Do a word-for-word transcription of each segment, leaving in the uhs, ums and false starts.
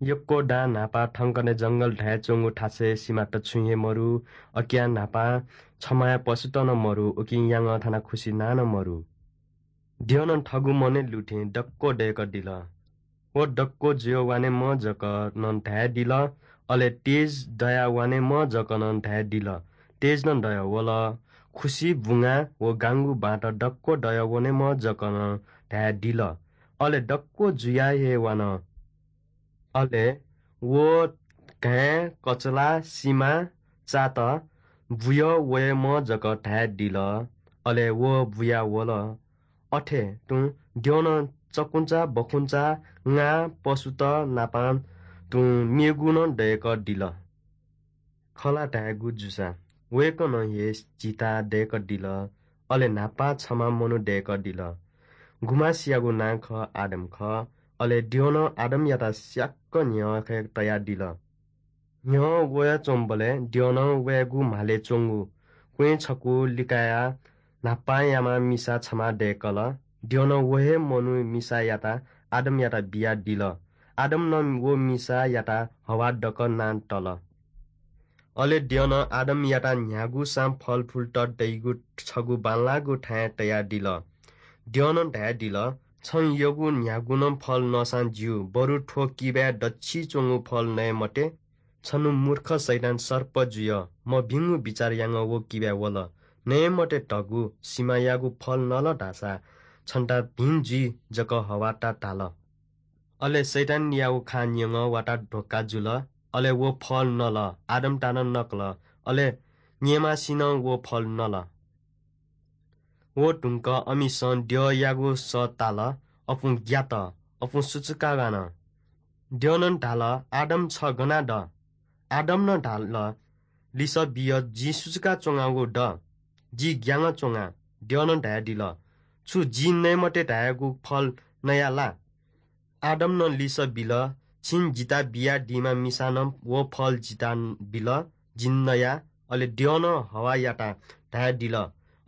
यक्व दां न्हापा थंकने जंगल धाये च्वंगु थासय् सिमात छुं हे मरु। अकियां न्हापा छमाया पशुत नं मरु, उकिं याङः थाना खुसि नां नं मरु। द्यःनं थःगु मनय् लुथें दक्व दय्कदिल। व दक्व जुया वानेम्ह जक नं धायेदिल, अले तेज दया वानेम्ह जक नं धायेदिल। तेज नं दया वल। खुसि बुंगा व गांगु बांत दक्व दया वनेम्ह जक नं धायेदिल। अले दक्व जुया हे वान। अले व घाँय्, कचला, सिमा, चात बुया वयेम्ह जक धायेदिल। अले व बुया वल। अथे तुं द्यःनं चकुंचा, बखुंचा, ङा, पशुत नापां तुं मेगु नं दय्कदिल। खँ ला धायेगु जूसा वय्कलं हे झीत दय्कदिल। अले न्हापा छम्ह मनू दय्कदिल। गुम्हसियागु नां खः आदम खः। अले द्यःनं आदमयात स्याक्क न्ह्यःने तयादिल। न्ह्यः वयाच्वंबलय् द्यःनं वय्गु म्हालय् च्वंगु क्वँय् छकू लिकायाः न्हापांयाम्ह मिसा छम्ह दय्कल। द्यःनं व हे मनू मिसायात आदमयात बियादिल। आदमनं व मिसायात हव्वा धकाः नां तल। अले द्यःनं आदमयात न्ह्यागुसां फलफुलत दइगु छगू बांलाःगु थाय् तयादिल। द्यःनं धायेदिल, छं यःगु न्ह्यागु नं फल नःसां ज्यू, बरु थ्व किबाय् दच्छि च्वंगु फल नये मते। छन्हु मूर्ख शैतान सर्प जुया मभिंगु बिचाः यानाः व किबाय् वल। नये मते धगु सिमायागु फल नल धाःसा छन्त भिं जुइ जक हव्वात धाल। अले शैतानयागु खँ न्यंगः वात धोखा जुल। अले व फल नल, आदमत नं नकल, अले न्येमासिनं व फल नल। व धुंकाः अमिसं द्यःयागु सः ताल, अपुं ग्यात, अपुं सुचुका गान। द्यःनं धाल, आदम, छ गना द? आदमनं धाल, लिसः बिया, जिं सुचुका च्वंगु द, जि ग्यानाच्वना। द्यःनं धयादिल, छु जिं नये मते धयागु फल नया ला? आदमनं लिसः बिल, छिं जितः बियादीम्ह मिसानं व फल जितः बिल, जिं नया। अले द्यःनं हव्वायात धयादिल,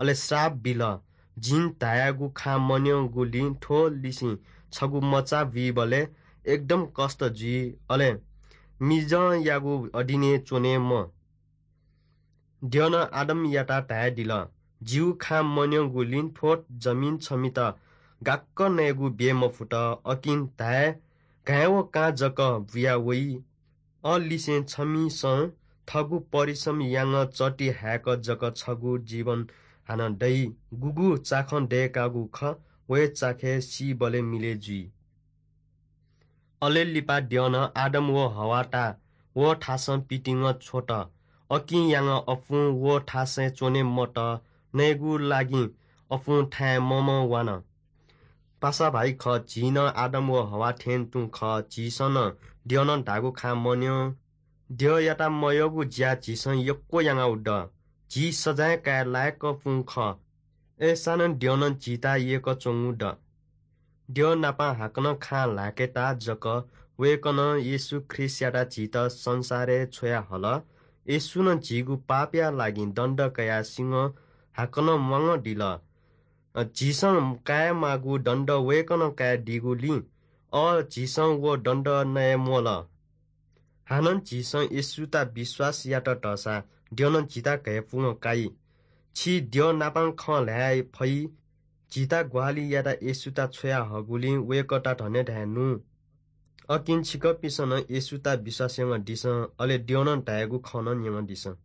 अले श्राप बिल, जिं धयागु खँ मन्यंगुलिं थ्व लिसें छगू मचा बुइबलय् एकदम कष्ट जुइ, अले मिजंयागु अधीनय् च्वने म्वाः। द्यःनं आदमयात धयादिल, जिगु खँ मन्यंगुलिं थ्व जमिन छमित गाक्क नयेगु ब्ये मफुत, अकिं धाये घाँय् व कां जक बुया वइ। अलिसें छमिसं थःगु परिश्रम यानाः चःति हाय्क जक छगू जीवन हानं दइ। गुगु चाखं दय्कागु खः, व हे चाखय् सीबलय् मिलय् जुइ। अले लिपा द्यःनं आदम व हव्वात व थासं पितिनाः छ्वत। अकिं यानाः अपुं व थासय् च्वने मत, नयेगु लागिं अपुं थाय् ममं वान। पासा भाइ खः, झी नं आदम व हव्वा थें तुं खः, झीसं नं द्यःनं धाःगु खँ मन्यं। द्यःयात मयःगु ज्या झीसं यक्व यानागु द। झी सजाँय काये लाय्क अपुं खः। अय्सानं द्यःनं झीत यय्कःच्वंगु द। द्यः नाप हाकनं खँ ल्हाकेत जक वय्कलं येशू ख्रीष्टयात झीत संसारय् छ्वयाहल। येशूनं झीगु पापया लागिं दण्ड कयाः सिंहं हाकनं म्वानादिल। अ, झीसं कायेमाःगु दण्ड वय्कलं कायेदीगुलिं, अ, झीसं व दण्ड नये म्वल। हानं झीसं येशूत विश्वास यात धाःसा द्यःनं झीत घय्पुकं काइ। छि द्यः नापं खँ ल्हाये फइ। झीत ग्वाहालि यात येशूत छ्वयाहःगुलिं वय्कःयात धन्य धायेनु। अकिं छिकपिन्सं नं येशूत विश्वास यानादिसँ, अले द्यःनं धायेगु खँ नं न्यनादिसँ।